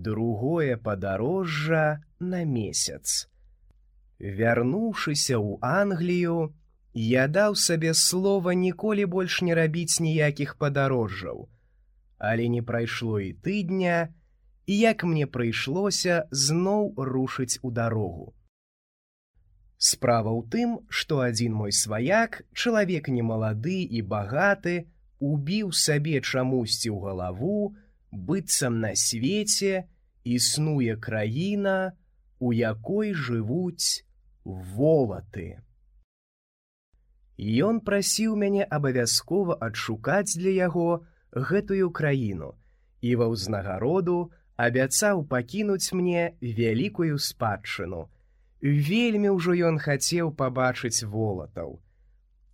другое падарожжа на месяц. Вярнуўшыся ў Англію, я даў сабе слова ніколі больш не рабіць ніякіх падарожжаў. Але не прайшло і тыдня, і як мне прыйшлося зноў рушыць у дарогу. Справа ў тым, што адзін мой сваяк, чалавек немалады і багаты, убіў сабе чамусьці ў галаву, быццам на свеце існуе краіна, у якой жывуць волаты. Ён прасіў мяне абавязкова адшукаць для яго гэтую краіну і ва ўзнагароду абяцаў пакінуць мне вялікую спадчыну. Вельмі ўжо ён хацеў пабачыць волатаў.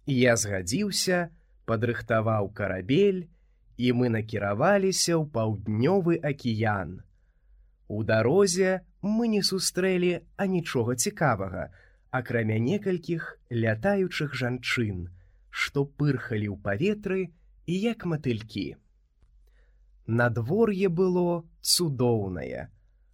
Я згадзіўся, падрыхтаваў карабель, і мы накіраваліся ў паўднёвы акіян. У дарозе мы не сустрэлі анічога цікавага, акрамя некалькіх лятаючых жанчын, што пырхалі ў паветры і як матылькі. Надвор'е было цудоўнае,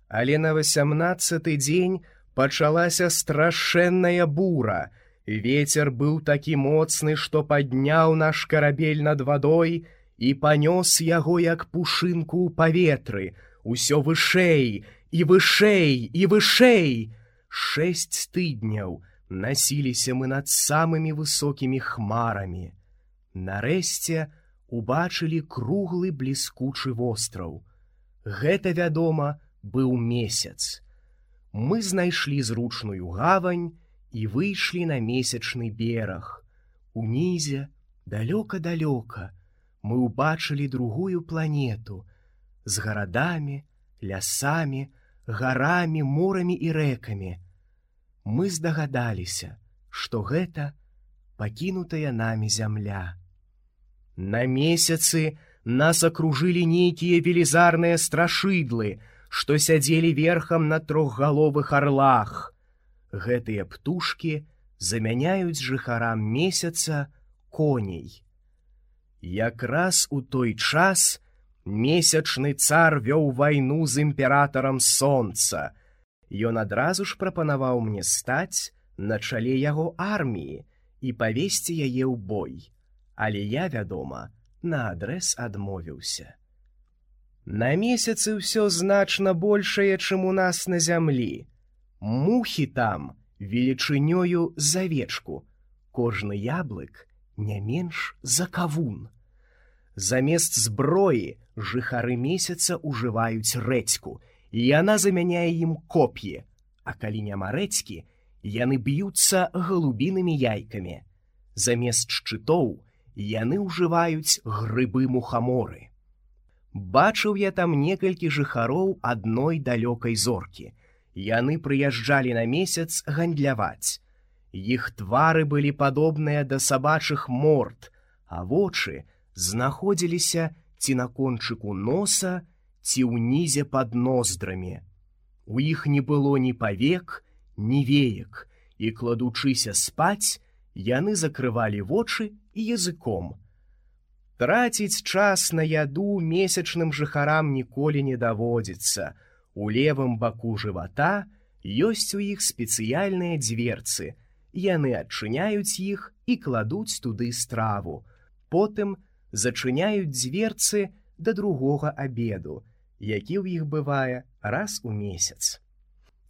але на 18-й дзень пачалася страшэнная бура. Вецер быў такі моцны, што падняў наш карабель над вадой і панёс яго як пушынку ў паветры, усё вышэй і вышэй і вышэй. 6 тыдняў насіліся мы над самымі высокімі хмарамі. Нарэшце убачылі круглы бліскучы востраў. Гэта, вядома, быў месяц. Мы знайшлі зручную гавань і выйшлі на месячны бераг. Унізе, далёка-далёка, мы ўбачылі другую планету з гарадамі, лясамі, гарамі, морамі і рэкамі. Мы здагадаліся, што гэта пакінутая намі зямля. На месяцы нас акружылі нейкія велізарныя страшыдлы, што сядзелі верхам на трохгаловых арлах. Гэтыя птушкі замяняюць жыхарам месяца коней. Якраз у той час месячны цар вёў вайну з імператарам сонца. Ён адразу ж прапанаваў мне стаць на чале яго арміі і павесці яе ў бой. Але я, вядома, наадрэз адмовіўся. На месяцы ўсё значна большае, чым у нас на зямлі. Мухі там велічынёю з авечку, кожны яблык не менш за кавун. Замест зброі жыхары месяца ўжываюць рэдзьку, і яна замяняе ім коп'і, а калі няма рэдзькі, яны б'юцца галубінымі яйкамі. Замест шчытоў яны ўжываюць грыбы-мухаморы. Бачыў я там некалькі жыхароў адной далёкай зоркі. Яны прыязджалі на месяц гандляваць. Іх твары былі падобныя да сабачых морд, а вочы знаходзіліся ці на кончыку носа, ці ўнізе пад ноздрамі. У іх не было ні павек, ні веек, і, кладучыся спаць, яны закрывалі вочы і языком. Траціць час на яду месячным жыхарам ніколі не даводзіцца. У левым баку жывата ёсць у іх спецыяльныя дзверцы. Яны адчыняюць іх і кладуць туды страву. Потым зачыняюць дзверцы да другога абеду, які ў іх бывае раз у месяц.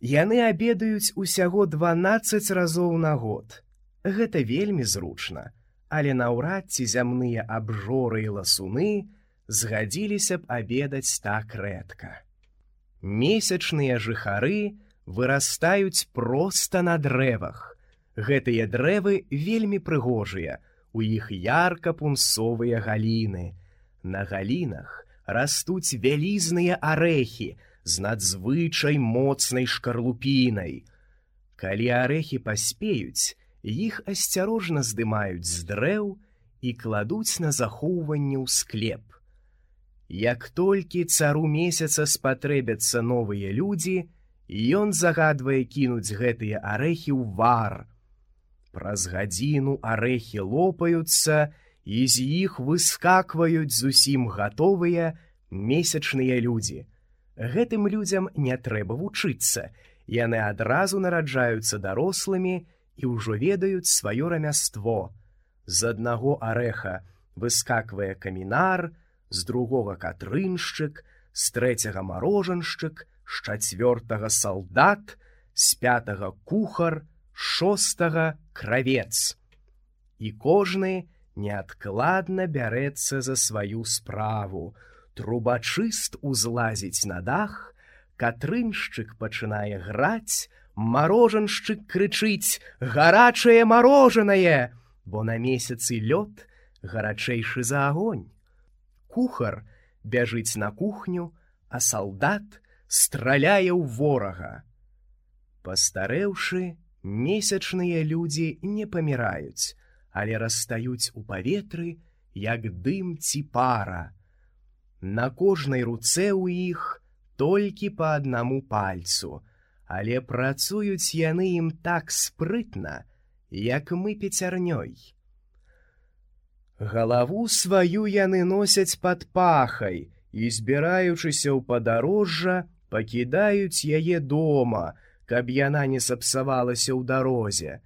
Яны абедаюць усяго 12 разоў на год. Гэта вельмі зручна. Але наўрад ці зямныя абжоры і ласуны згадзіліся б абедаць так рэдка. Месячныя жыхары вырастаюць проста на дрэвах. Гэтыя дрэвы вельмі прыгожыя, у іх ярка-пунсовыя галіны. На галінах растуць вялізныя арэхі з надзвычай моцнай шкарлупінай. Калі арэхі паспеюць, іх асцярожна здымаюць з дрэў і кладуць на захоўванне ў склеп. Як толькі цару месяца спатрэбяцца новыя людзі, ён загадвае кінуць гэтыя арэхі ў вар. Праз гадзіну арэхі лопаюцца, і з іх выскакваюць зусім гатовыя месячныя людзі. Гэтым людзям не трэба вучыцца, яны адразу нараджаюцца дарослымі і ўжо ведаюць сваё рамяство. З аднаго арэха выскаквае камінар, з другога катрыншчык, з трэцяга марожаншчык, з чацвёртага салдат, з пятага кухар, з шостага кравец. І кожны неадкладна бярэцца за сваю справу. Трубачыст узлазіць на дах, катрыншчык пачынае граць, марожаншчык крычыць: «Гарачае марожанае!», бо на месяцы лёд гарачэйшы за агонь. Кухар бяжыць на кухню, а салдат страляе ў ворага. Пастарэўшы, месячныя людзі не паміраюць, але растаюць у паветры, як дым ці пара. На кожнай руцэ ў іх толькі па аднаму пальцу, але працуюць яны ім так спрытна, як мы пяцярнёй. Галаву сваю яны носяць пад пахай і, збіраючыся ў падарожжа, пакідаюць яе дома, каб яна не сапсавалася ў дарозе.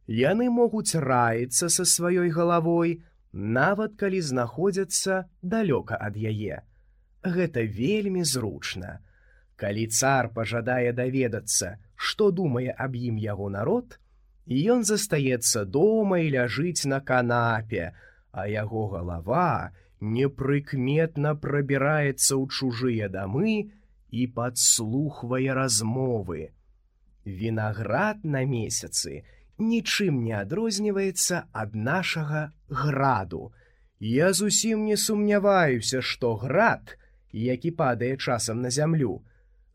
Яны могуць раіцца са сваёй галавой, нават калі знаходзяцца далёка ад яе. Гэта вельмі зручна. Калі цар пажадае даведацца, што думае аб ім яго народ, ён застаецца дома і ляжыць на канапе, а яго галава непрыкметна прабіраецца ў чужыя дамы і падслухвае размовы. Вінаград на месяцы нічым не адрозніваецца ад нашага граду. Я зусім не сумняваюся, што град, які падае часам на зямлю,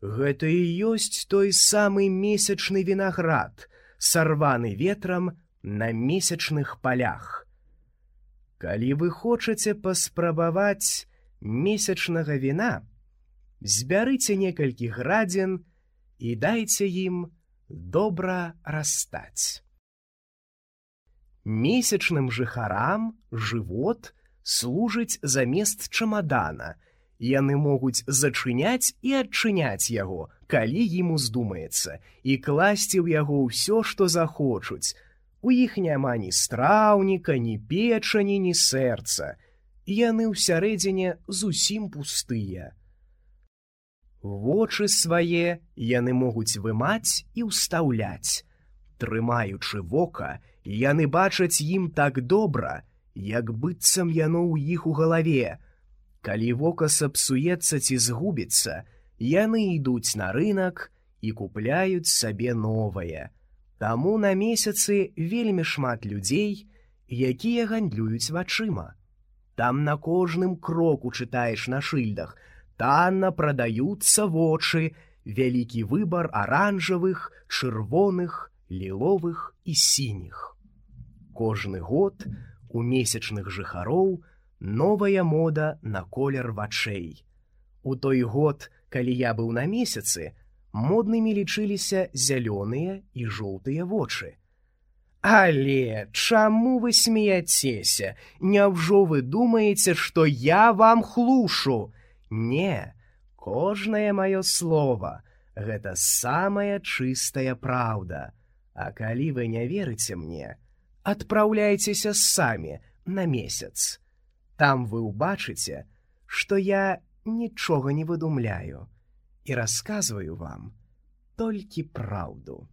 гэта і ёсць той самы месячны вінаград, сарваны ветрам на месячных палях. Калі вы хочаце паспрабаваць месячнага віна, збярыце некалькі градзін і дайце ім добра растаць. Месячным жыхарам жывот служыць замест чамадана. Яны могуць зачыняць і адчыняць яго, калі ім уздумаецца, і класці ў яго ўсё, што захочуць. У іх няма ні страўніка, ні печані, ні сэрца. Яны ўсярэдзіне зусім пустыя. Вочы свае яны могуць вымаць і ўстаўляць. Трымаючы вока, яны бачаць ім так добра, як быццам яно ў іх у галаве. Калі вока сапсуецца ці згубіцца, яны ідуць на рынак і купляюць сабе новае. Таму на месяцы вельмі шмат людзей, якія гандлююць вачыма. Там на кожным кроку чытаеш на шыльдах: танна прадаюцца вочы, вялікі выбар аранжавых, чырвоных, ліловых і сініх. Кожны год у месячных жыхароў новая мода на колер вачэй. У той год, калі я быў на месяцы, моднымі лічыліся зялёныя і жоўтыя вочы. Але чаму вы смеяцеся? Няўжо вы думаеце, што я вам хлушу? Не, кожнае маё слова — гэта самая чыстая праўда. А калі вы не верыце мне, адпраўляйцеся самі на месяц. Там вы ўбачыце, што я нічога не выдумляю і расказваю вам толькі праўду.